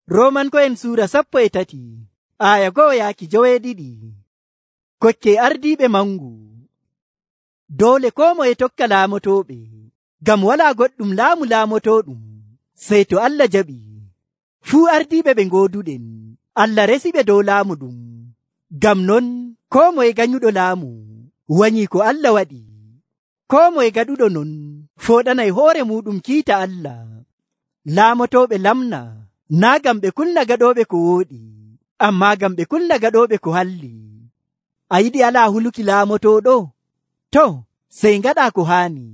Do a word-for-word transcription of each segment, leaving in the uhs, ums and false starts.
Roomanko'en suura sappo e tati aya go'o yaaki joweeɗiɗi. Kokke ardiiɓe mangu. Doole koo moye tokka laamotooɓe, ngam walaa goɗɗum laamu laamotooɗum sey to Allah jaɓi. Fuu ardiiɓe ɓe ngooduɗen, Allah resiɓe dow laamu ɗum. Ngam non koo moye ganyuɗo laamu wanyii ko Allah waɗi. Koo moye gaɗuɗo non fooɗanay hoore muuɗum kiita Allah. Laamotooɓe lamna naa ngam ɓe kulna gaɗooɓe ko wooɗi, ammaa ngam ɓe kulna gaɗooɓe ko halli. A yiɗi alaa huluki laamotooɗo? To, sey ngaɗaa ko haani.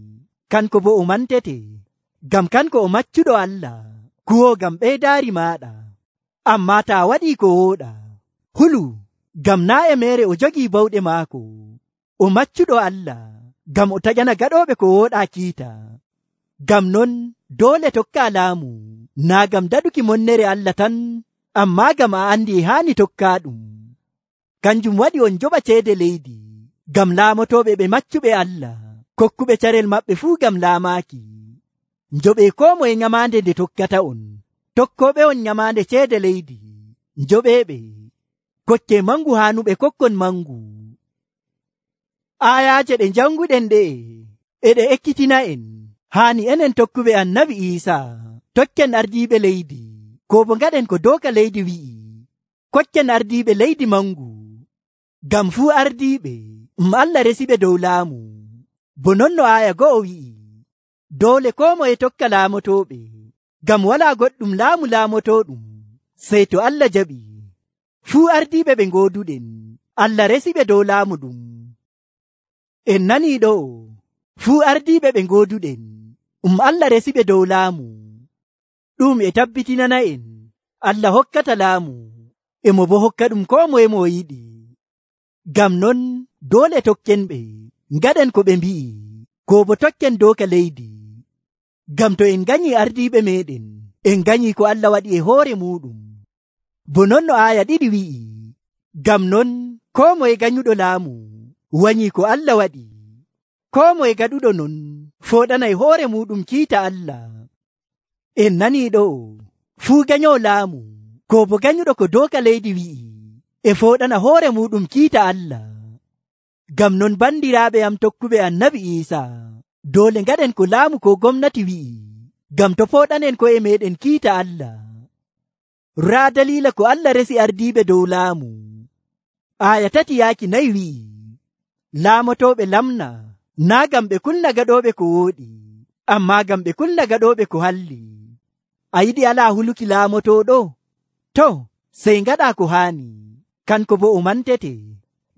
Kanko boo o mantete, ngam kanko o maccuɗo Allah, kuwoo ngam ɓeydaari maaɗa. Ammaa taa waɗii ko wooɗa, hulu, ngam naa e meere o jogii bawɗe maako. O maccuɗo Allah, ngam o taƴana gaɗooɓe ko wooɗaa kiita. Ngam non doole tokkaa laamu, naa ngam daɗuki monnere Allah tan, ammaa ngam a andi e haani tokkaaɗum. Kanjum waɗi on joɓa ceede leydi, ngam laamotooɓe ɓe maccuɓe Allah, kokkuɓe carel maɓɓe fuu ngam laamaaki. Njoɓee koo moye nyamaande nde tokkata on. Tokkooɓe on nyamaande ceede leydi, njoɓeeɓe. Kokkee mangu haanuɓe kokkon mangu. Aayaaje ɗe janguɗen ɗe'e e ɗe ekkitina en haani enen tokkuɓe annabi Iisaa tokken ardiiɓe leydi, ko bo ngaɗen ko dooka leydi wi'i. Kokken ardiiɓe leydi mangu, ngam fuu ardiiɓe um Allah resiɓe dow laamu. Bo non no aaya go'o wi'i, doole koo moye tokka laamotooɓe, ngam walaa goɗɗum laamu laamotooɗum sey to Allah jaɓi. Fuu ardiiɓe ɓe ngooduɗen, Allah resiɓe dow laamu ɗum. En nanii ɗo, fuu ardiiɓe ɓe ngooduɗen, um Allah resiɓe dow laamu. Ɗum e tabbitinana en Allah hokkata laamu, emo bo hokka ɗum koo moye mo yiɗi. Ngam non doole tokken ɓe, ngaɗen ko ɓe mbi'i, ko bo tokken dooka leydi. Ngam to en nganyii ardiiɓe meeɗen, en nganyii ko Allah waɗi e hoore muuɗum. Bo non no aaya ɗiɗi wi'i, ngam non koo moye ganyuɗo laamu wanyii ko Allah waɗi. Koo moye gaɗuɗo non fooɗanay hoore muuɗum kiita Allah. En nanii ɗo, fuu ganyowo laamu, ko bo ganyuɗo ko dooka leydi wi'i, e fooɗana hoore muuɗum kiita Allah. Ngam non bandiraaɓe am tokkuɓe annabi Iisaa, doole ngaɗen ko laamu ko gomnati wi'i, ngam to fooɗanen ko'e meeɗen kiita Allah. Raa daliila ko Allah resi ardiiɓe dow laamu. Aaya tati yaaki nayi wi'i, laamotooɓe lamna naa ngam ɓe kulna gaɗooɓe ko wooɗi, ammaa ngam ɓe kulna gaɗooɓe ko halli. A yiɗi alaa huluki laamotooɗo? To, sey ngaɗaa ko haani. Kanko boo o mantete,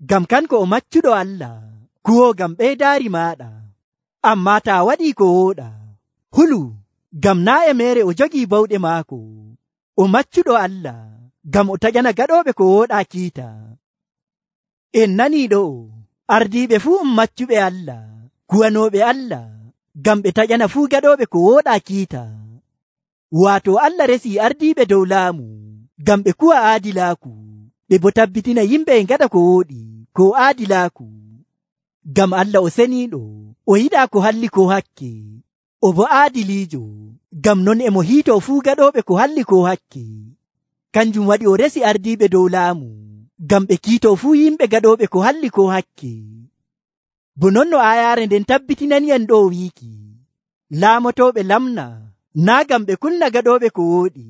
ngam kanko o maccuɗo Allah, kuwoo ngam ɓeydaari maaɗa. Ammaa taa waɗii ko wooɗa, hulu, ngam naa e meere o jogii bawɗe maako. O maccuɗo Allah, ngam o taƴana gaɗooɓe ko wooɗaa kiita. En nanii ɗo, ardiiɓe fuu um maccuɓe Allah, kuwanooɓe Allah, ngam ɓe taƴana fuu gaɗooɓe ko wooɗaa kiita. Waato Allah resii ardiiɓe dow laamu, ngam ɓe kuwa aadilaaku, ɓe bo tabbitina yimɓe e ngaɗa ko wooɗi, ko aadilaaku. Ngam Allah o seniiɗo, o yiɗaa ko halli ko hakke, o bo aadiliijo, ngam non emo hiitoo fuu gaɗooɓe ko halli ko hakke. Kanjum waɗi o resi ardiiɓe dow laamu, ngam ɓe kiitoo fuu yimɓe gaɗooɓe ko halli ko hakke. Bo non no aayaare nden tabbitinani en ɗo wiiki, laamotooɓe lamna naa ngam ɓe kulna gaɗooɓe ko wooɗi,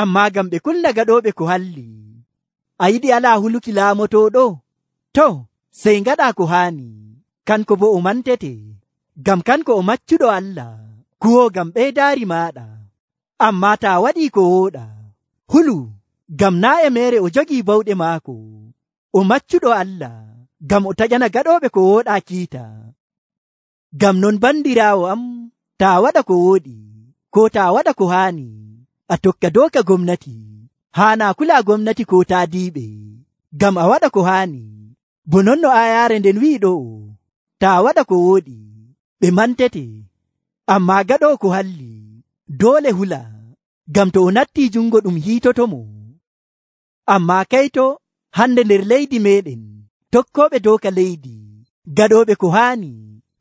ammaa ngam ɓe kulna gaɗooɓe ko halli. A yiɗi alaa huluki laamotooɗo? To, sey ngaɗaa ko haani. Kanko boo o mantete, ngam kanko o maccuɗo Allah, kuwoo ngam ɓeydaari maaɗa. Ammaa taa waɗii ko wooɗa, hulu, ngam naa e meere o jogii bawɗe maako. O maccuɗo Allah, ngam o taƴana gaɗooɓe ko wooɗaa kiita. Ngam non bandiraawo am, taa waɗa ko wooɗi, ko taa waɗa ko haani, a tokka dooka gomnati. Haanaa kulaa gomnati ko taadiiɓe, ngam a waɗa ko haani. Bo non no aayaare nden wi'i ɗo, taa waɗa ko wooɗi, ɓe mantete, ammaa gaɗoo ko halli, doole hula, ngam to o nattii jungo ɗum hiitotomo. Ammaa kayto hande nder leydi meeɗen, tokkooɓe dooka leydi, gaɗooɓe ko haani,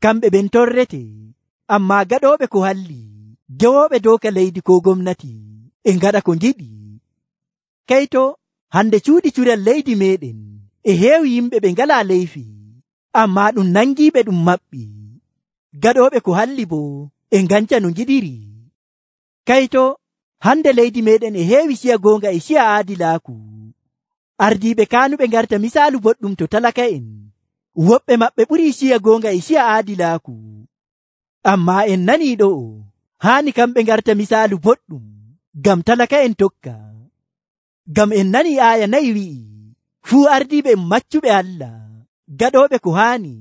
kamɓe ɓen torrete, ammaa gaɗooɓe ko halli, gewooɓe dooka leydi ko gomnati, e ngaɗa ko ngiɗi. Kayto hande cuuɗi curel leydi meɗen e heewi yimɓe ɓe ngalaa leyfi, ammaa ɗum nangiiɓe ɗum maɓɓi. Gaɗooɓe ko halli bo e nganca no ngiɗiri. Kayto hande leydi meɗen e heewi ciya goonga e ciya aadilaaku. Ardiiɓe kaanuɓe ngarta misaalu boɗɗum to talaka'en. Woɓɓe maɓɓe ɓurii ciya goonga e ciya aadilaaku. Ammaa en nanii ɗo'o haani kamɓe ngarta misaalu boɗɗum ngam talaka'en tokka. Ngam en nanii aaya nayi wi'i, fuu ardiiɓe en maccuɓe Allah, gaɗooɓe ko haani,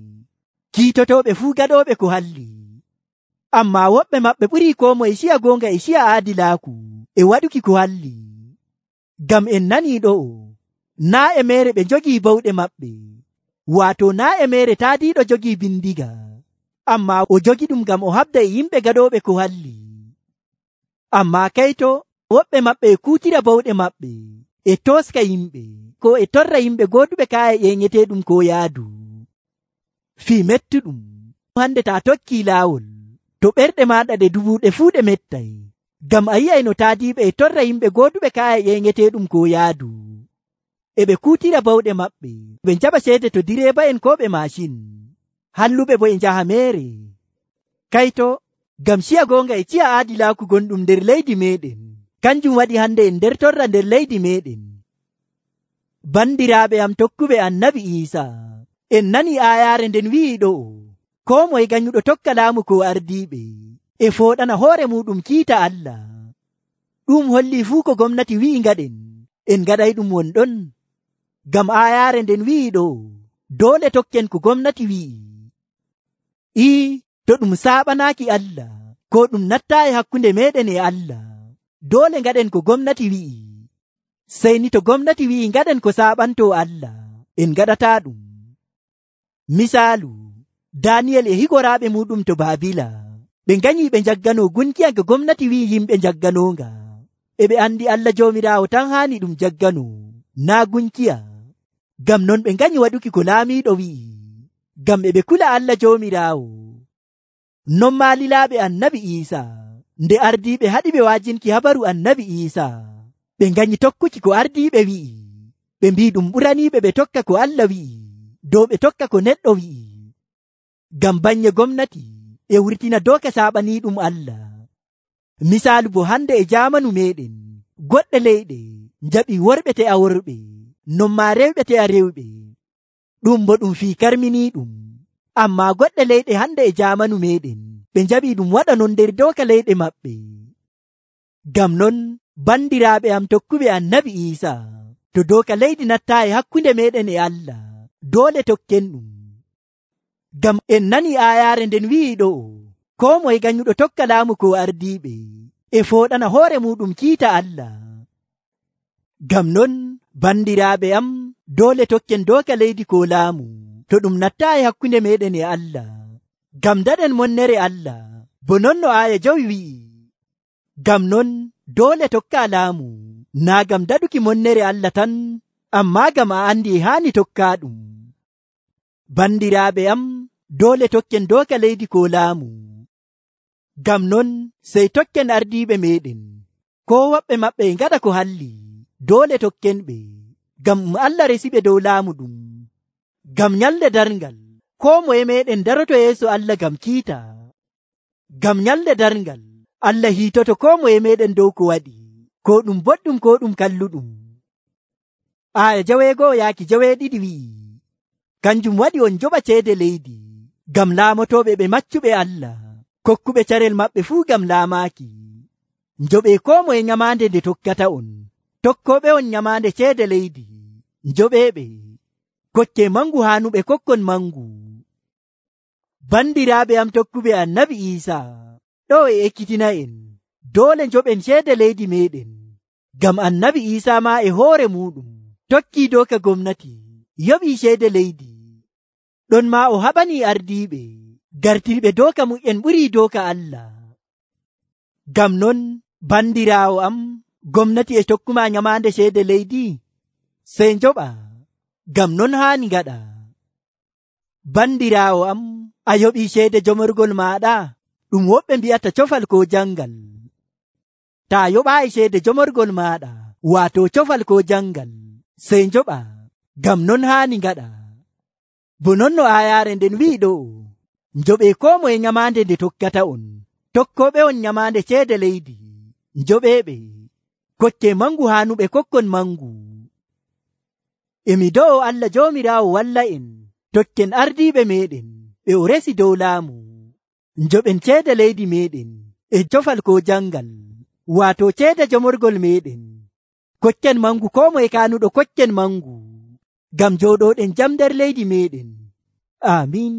kiitotooɓe fuu gaɗooɓe ko halli. Ammaa woɓɓe maɓɓe ɓurii koo moye ciya goonga e ciya aadilaaku e waɗuki ko halli. Ngam en nanii ɗo'o naa e meere ɓe njogii bawɗe maɓɓe, waato naa e meere taadiiɗo jogii bindiga, ammaa o jogi ɗum ngam o habda e yimɓe gaɗooɓe ko halli. Ammaa kayto woɓɓe maɓɓe e kuutira bawɗe maɓɓe e tooska yimɓe, ko e torra yimɓe gooduɓe kaaye ƴeeŋeteeɗum ko yaadu. Fii mettuɗum hande taa tokkii laawol, to ɓerɗe maaɗa ɗe dubuuɗe fuu ɗe mettay, ngam a yi'ay no taadiiɓe e torra yimɓe gooduɓe kaaye ƴeeŋeteeɗum ko yaadu. E ɓe kuutira bawɗe maɓɓe, ɓe njaɓa ceede to direeba'en koo ɓe maashin, halluɓe bo e njaha meere. Kayto ngam ciya goonga e ciya aadilaaku gonɗum nder leydi meeɗen, kanjum waɗi hande en nder torra nder leydi meeɗen. Bandiraaɓe am tokkuɓe annabi Iisaa, en nani aayaare nden wi'i ɗo'o, koo moye ganyuɗo tokka laamu ko ardiiɓe e fooɗana hoore muɗum kiita Allah. Ɗum hollii fuu ko gomnati wi'i ngaɗen, en ngaɗay ɗum wonɗon. Ngam aayaare nden wi'i ɗo'o, doole tokken ko gomnati wi'i. Ii, to ɗum saaɓanaaki Allah, ko ɗum nattaayi hakkunde meɗen e Allah, doole ngaɗen ko gomnati wi'i. Sey ni to gomnati wi'i ngaɗen ko saaɓantoo Allah, en ngaɗataa ɗum. Misaalu, Daniyel e higoraaɓe muɗum to Baabila, ɓe nganyii ɓe njagganoo gunkiya nga gomnati wi'i yimɓe njagganonga, e ɓe andi Allah Joomiraawo tan haani ɗum jagganoo, naa gunkiya. Ngam non ɓe nganyi waɗuki ko laamiiɗo wi'i, ngam e ɓe kula Allah Joomiraawo. Non maa lilaaɓe annabi Iisaa, nde ardiiɓe haɗi ɓe waajinki habaru annabi Iisaa, ɓe nganyi tokkuki ko ardiiɓe wi'i, ɓe mbii ɗum ɓuraniiɓe ɓe tokka ko Allah wi'i dow ɓe tokka ko neɗɗo wi'i. Ngam banye gomnati e wurtina dooka saaɓaniiɗum Allah. Misaalu bo hande e jaamanu meɗen, goɗɗe leyɗe njaɓi worɓe te'a worɓe, non maa rewɓe te'a rewɓe, ɗum bo ɗum fii karminiiɗum. Ammaa goɗɗe leyɗe hande e jaamanu meɗen, ɓe njaɓi ɗum waɗa non nder dooka leyɗe maɓɓe. Ngam non bandiraaɓe am tokkuɓe annabi Iisaa, to dooka leydi nattaayi hakkunde meɗen e Allah, doole tokken ɗum. Ngam en nani aayaare nden wi'i ɗo'o, koo moye ganyuɗo tokka laamu ko ardiiɓe e fooɗana hoore muɗum kiita Allah. Ngam non bandiraaɓe am, doole tokken dooka leydi ko laamu, to ɗum nattaayi hakkunde meɗen e Allah, ngam daɗen monnere Allah, bo non no aaya jowi wi'i. Ngam non doole tokka laamu, naa ngam daɗuki monnere Allah tan, ammaa ngam a andi e haani tokkaa ɗum. Bandiraaɓe am, doole tokken dooka leydi ko laamu. Ngam non sey tokken ardiiɓe meɗen, koo woɓɓe maɓɓe e ngaɗa ko halli, doole tokken ɓe, ngam Allah resiɓe dow laamu ɗum. Ngam nyalde darngal, koo moye meɗen daroto yeeso Allah ngam kiita. Ngam nyalde darngal, Allah hiitoto koo moye meɗen dow ko waɗi, ko ɗum boɗɗum ko ɗum kalluɗum. Aaya jaweegoo yaaki jaweeɗiɗi wi'i, kanjum waɗi on joɓa ceede leydi, ngam laamotoɓe ɓe maccuɓe Allah, kokkuɓe carel maɓɓe fuu ngam laamaaki. Njoɓe koo moye nyamaande nde tokkata on, tokkoɓe on nyamaande ceede leydi, njoɓeɓe, kokke mangu haanuɓe kokkon mangu. Bandiraaɓe am tokkuɓe annabi Iisaa, ɗo e ekkitina en, doole njoɓen ceede leydi meɗen, ngam annabi Iisaa ma e hoore muɗum tokkii dooka gomnati, yoɓii ceede leydi. Ɗon ma o haɓanii ardiiɓe gartirɓe dooka mu'en ɓurii dooka Allah. Ngam non bandiraawo am, gomnati e tokkuma nyamaande ceede leydi, sey njoɓa, ngam non haani ngaɗa. Bandiraawo am, a yoɓii ceede jomorgol maaɗa, ɗum woɓɓe mbi'ata cofal ko jangal. Taa yoɓaayi ceede jomorgol maaɗa, waato cofal ko jangal sey njoɓa ngam non haani ngaɗa. Bo non no aayaare nden wi'i ɗo njoɓee koo moye nyamaande nde tokkata on, tokkooɓe on nyamaande ceede leydi njoɓeeɓe, koccee mangu haanuɓe kokkon mangu. Emi do'o Allah Joomiraawo walla en tokken ardiiɓe meeɗen ɓe o resi dow laamu, njoɓen ceede leydi meeɗen e cofal ko jangal, waato ceede jomorgol meeɗen. Koccen mangu koo moye kaanuɗo koccen mangu, ngam jooɗooɗen jam nder leydi meeɗen. Amiin.